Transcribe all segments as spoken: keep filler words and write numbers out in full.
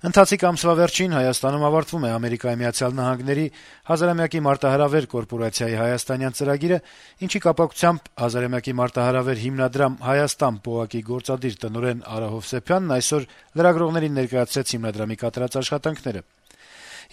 Ընթացիկ ամսվա վերջին Հայաստանում ավարտվում է Ամերիկայի Միացյալ Նահանգների հազարամյակի մարտահրավեր կորպորացիայի հայաստանյան ծրագիրը, ինչի կապակցությամբ հազարամյակի մարտահրավեր հիմնադրամ Հայաստան պոակի գործադիր տնօրեն Արա Հովսեփյանն այսօր լրագրողներին ներկայացրեց հիմնադրամի կատարած աշխատանքները։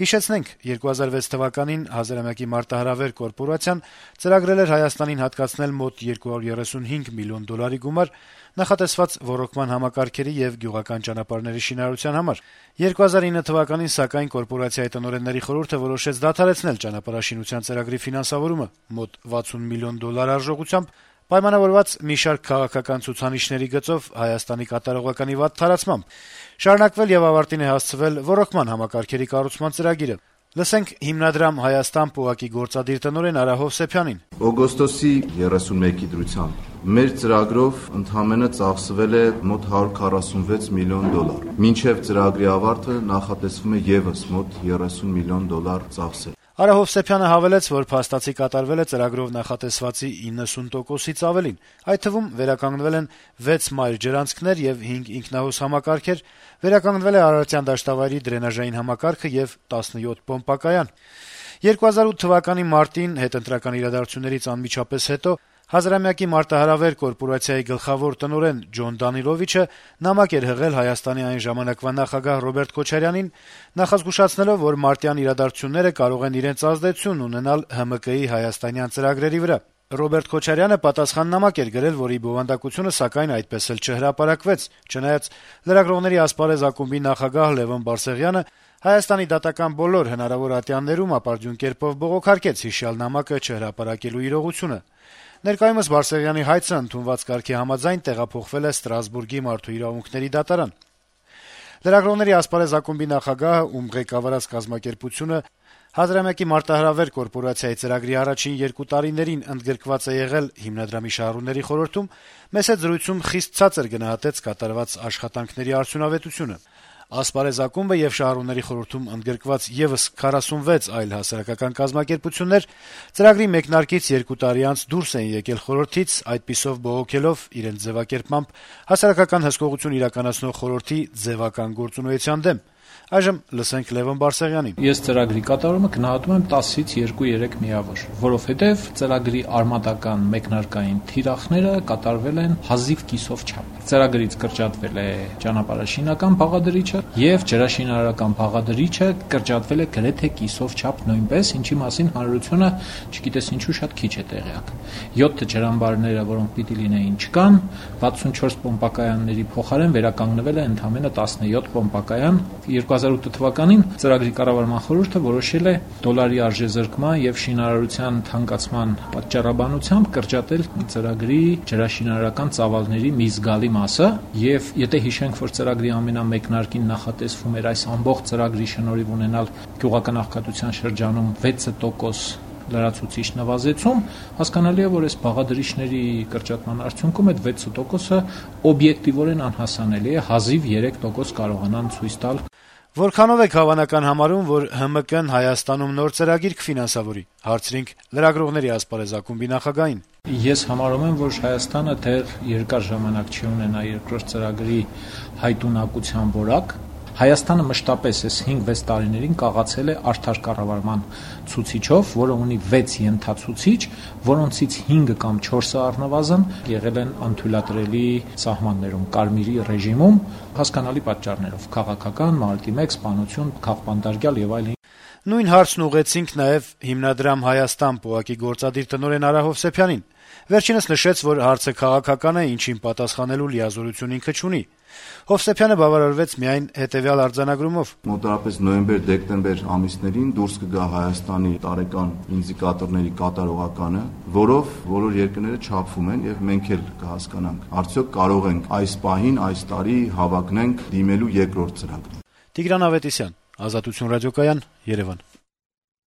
Հիշեցնենք, երկու հազար վեց թվականին հազարամյակի մարտահրավեր կորպորացիան ծրագրել էր Հայաստանին հատկացնել մոտ երկու հարյուր երեսունհինգ միլիոն դոլարի գումար նախատեսված ոռոգման համակարգերի եւ գյուղական ճանապարհների շինարարության համար։ երկու հազար ինը թվականին սակայն կորպորացիայի տնօրենների խորհուրդը որոշեց դադարեցնել ճանապարհաշինության ծրագրի ֆինանսավորումը մոտ վաթսուն միլիոն դոլար արժողությամբ, պայմանավորված մի շարք քաղաքական ցուցանիշների գծով Հայաստանի կատարողականի վատ թարացմամբ։ Շարունակվել եւ ավարտին է հասցվել ոռոգման համակարգերի կառուցման ծրագիրը։ Լսենք հիմնադրամ Հայաստան պոակի գործադիր տնօրեն Արա Հովսեփյանին։ Օգոստոսի երեսունմեկի դրությամբ մեր ծրագրով ընդամենը ծախսվել է մոտ հարյուր քառասունվեց միլիոն դոլար։ Մինչև ծրագրի ավարտը նախատեսվում է եւս մոտ երեսուն միլիոն դոլար ծախսել։ Արա Հովսեփյանը հավելեց, որ փաստացի կատարվել է ծրագրով նախատեսվածի իննսուն տոկոսից ավելին։ Այդ թվում վերականգնվել են վեց մայր ջրանցքներ եւ հինգ ինքնահոս համակարգեր, վերականգնվել է Արարատյան դաշտավայրի դրենաժային համակարգը եւ տասնյոթ պոմպակայան։ երկու հազար ութ թվականի մարտին հետընտրական իրադարձություններից անմիջապես հետո հազարամյակի մարտահրավեր կորպորացիայի գլխավոր տնօրեն Ջոն Դանիլովիչը նամակ էր հղել Հայաստանի այն ժամանակվա նախագահ Ռոբերտ Քոչարյանին, նախազգուշացնելով, որ մարտյան իրադարձությունները կարող են իրենց ազդեցություն ունենալ ՀՄԿ-ի հայաստանյան ծրագրերի վրա։ Ռոբերտ Քոչարյանը պատասխան նամակ էր գրել, որի բովանդակությունը սակայն այդպես էլ չհրապարակվեց, չնայած լրագրողների ասպարեզ ակումբի նախագահ Լևոն Բարսեղյանը Հայաստանի դատական բոլոր հնարավոր ատյաններում ապարդյուն կերպով բողոքարկեց հիշյալ նամակը չհրապարակելու իրողությունը։ Ներկայումս Բարսեղյանի հայցը ընդունված կարգի համաձայն տեղափոխվել է Ստրասբուրգի մարդու իրավունքների դատարան։ Լրագրողների ասպարեզ ակումբի նախագահը, ում ղեկավարած կազմակերպությունը հազարամյակի մարտահրավեր կորպորացիայի ծրագրի առաջին երկու տարիներին ընդգրկված է եղել հիմնադրամի շահառուների խորհրդում, մեծ զրույցում խիստ ցածր գնահատեց կատարված աշխատանքների արդյունավետությունը։ Ասպարեզ ակումբը եւ շահառուների խորհրդում ընդգրկված եւս քառասունվեց այլ հասարակական կազմակերպություններ ծրագրի մեկնարկից երկու տարի անց դուրս էին եկել խորհրդից, այդպիսով բողոքելով իրենց ձևակերպմամբ հասարակական հսկողություն իրականացնող խորհրդի ձևական գործունեության դեմ։ Այժմ լսենք Լևոն Բարսեղյանին։ Ես ծրագրի կատարումը գնահատում եմ տասից երկու երեք միավոր, որովհետև ծրագրի արմատական մեկնարկային թիրախները կատարվել են հազիվ կիսով չափ։ Ծրագրից կրճատվել է ճանապարհաշինական բաղադրիչը եւ ջրաշինարարական բաղադրիչը կրճատվել է գրեթե կիսով չափ նույնպես, ինչի մասին հանրությունը չգիտես ինչու շատ քիչ է տեղյակ։ յոթ ջրամբարները, որոնք պիտի լինեին, չկան, վաթսունչորս պոմպակայանների փոխարեն վերականգնվել է ընդամենը տասնյոթ պոմպակայան։ երկու հազար ութ թվականին ծրագրի կառավարման խորհուրդը որոշել է դոլարի արժեզրկման եւ շինարարության թանկացման պատճառաբանությամբ կրճատել ծրագրի ջրաշինարարական ծավալների մի զգալի մասը եւ եթե հիշենք, որ ծրագրի ամենամեկնարկին նախատեսվում էր այս ամբողջ ծրագրի շնորհիվ ունենալ գյուղական աղքատության շրջանում վեց տոկոս լրացուցիչ նվազեցում, հասկանալի է, որ այս բաղադրիչների կրճատման արդյունքում այդ վեց տոկոսը օբյեկտիվորեն անհասանելի է, հազիվ երեք տոկոս կարողանան ցույց տալ։ Որքանով եք հավանական համարում, որ ՀՄԿ-ն Հայաստանում նոր ծրագիր կֆինանսավորի, հարցրինք լրագրողների ասպարեզ ակումբի նախագահին։ Ես համարում եմ, որ Հայաստանը դեռ երկար ժամանակ չի ունենա երկրորդ ծրագրի հայտունակության որակ։ Հայաստանը մշտապես այս հինգ-վեց տարիներին կաղացել է արդար կառավարման ցուցիչով, որը ունի վեց ենթացուցիչ, որոնցից հինգը կամ չորսը առնվազն եղել են անթույլատրելի սահմաններում, կարմիրի ռեժիմում, հասկանալի պատճառներով՝ քաղաքական, մարտի մեկ, սպանություն, քաղբանտարկյալ եւ այլն։ Նույն հարցն ուղղեցինք նաեւ հիմնադրամ Հայաստան պոակի գործադիր տնօրեն Արա Հովսեփյանին։ Վերջինս նշեց, որ հարցը քաղաքական է, ինչին պատասխանելու լիազորություն ինքը չունի։ Հովսեփյանը բավարարվեց միայն հետեւյալ արձանագրումով. Մոտավորապես նոյեմբեր-դեկտեմբեր ամիսներին դուրս կգա Հայաստանի տարեկան ինդիկատորների կատարողականը, որով բոլոր երկրները չափվում են եւ մենք էլ կհասկանանք, արդյոք կարող ենք այս պահին, այս տարի հավակնենք դիմելու երկրորդ ծրագրին։ Տիգրան Ավետիսյան, Ազատություն ռադիոկայան, Երևան։